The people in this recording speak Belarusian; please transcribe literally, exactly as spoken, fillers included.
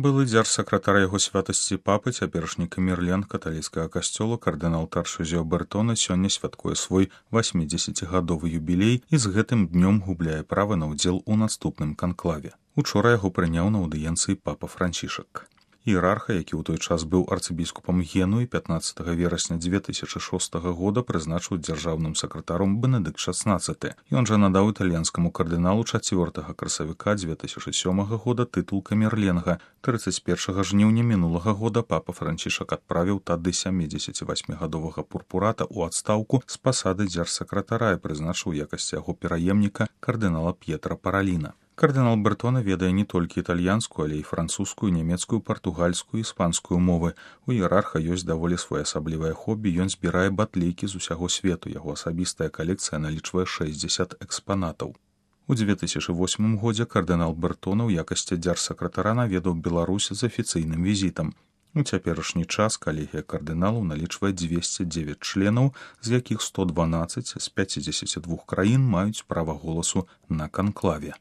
Былы дзяржсакратар яго святасці папы, цяперашні камерлен каталіцкага касцёла кардынал Таршызіо Бертона сёння святкуе свой васьмідзесяцігадовы юбілей і з гэтым днём губляе права на ўдзел у наступным канклаве. Учора яго прыняў на аўдыенцыі папа Францішак. Іерарха, які ў той час быў арцыбіскупам Генуі, пятнаццатага верасня дзве тысячы шостага года прызначыў дзяржаўным сакратаром Бенедыкт шаснаццаты. Ён жа надаў італьянскаму кардыналу чацвёртага красавіка дзве тысячы сёмага года тытул камерленга. трыццаць першага жніўня мінулага года папа Францішак адправіў тады сямідзесяцівасьмігадовага пурпурата ў адстаўку з пасады дзяржсакратара і прызначыў у якасці яго пераемніка кардынала П'етра Параліна. Кардынал Бертона ведае не толькі італьянскую, але і французскую, нямецкую, партугальскую і іспанскую мовы. У іерарха ёсць даволі своеасаблівае хобі, ён збірае батлейкі з усяго свету. Яго асабістая калекцыя налічвае шэсцьдзесят экспанатаў. У дзве тысячы восьмым годзе кардынал Бертона ў якасці дзяржсакратара наведаў Беларусь з афіцыйным візітам. У цяперашні час калегія кардыналаў налічвае дзвесце дзевяць членаў, з якіх сто дванаццаць з пяцідзесяці двух краін маюць права голасу на канклаве.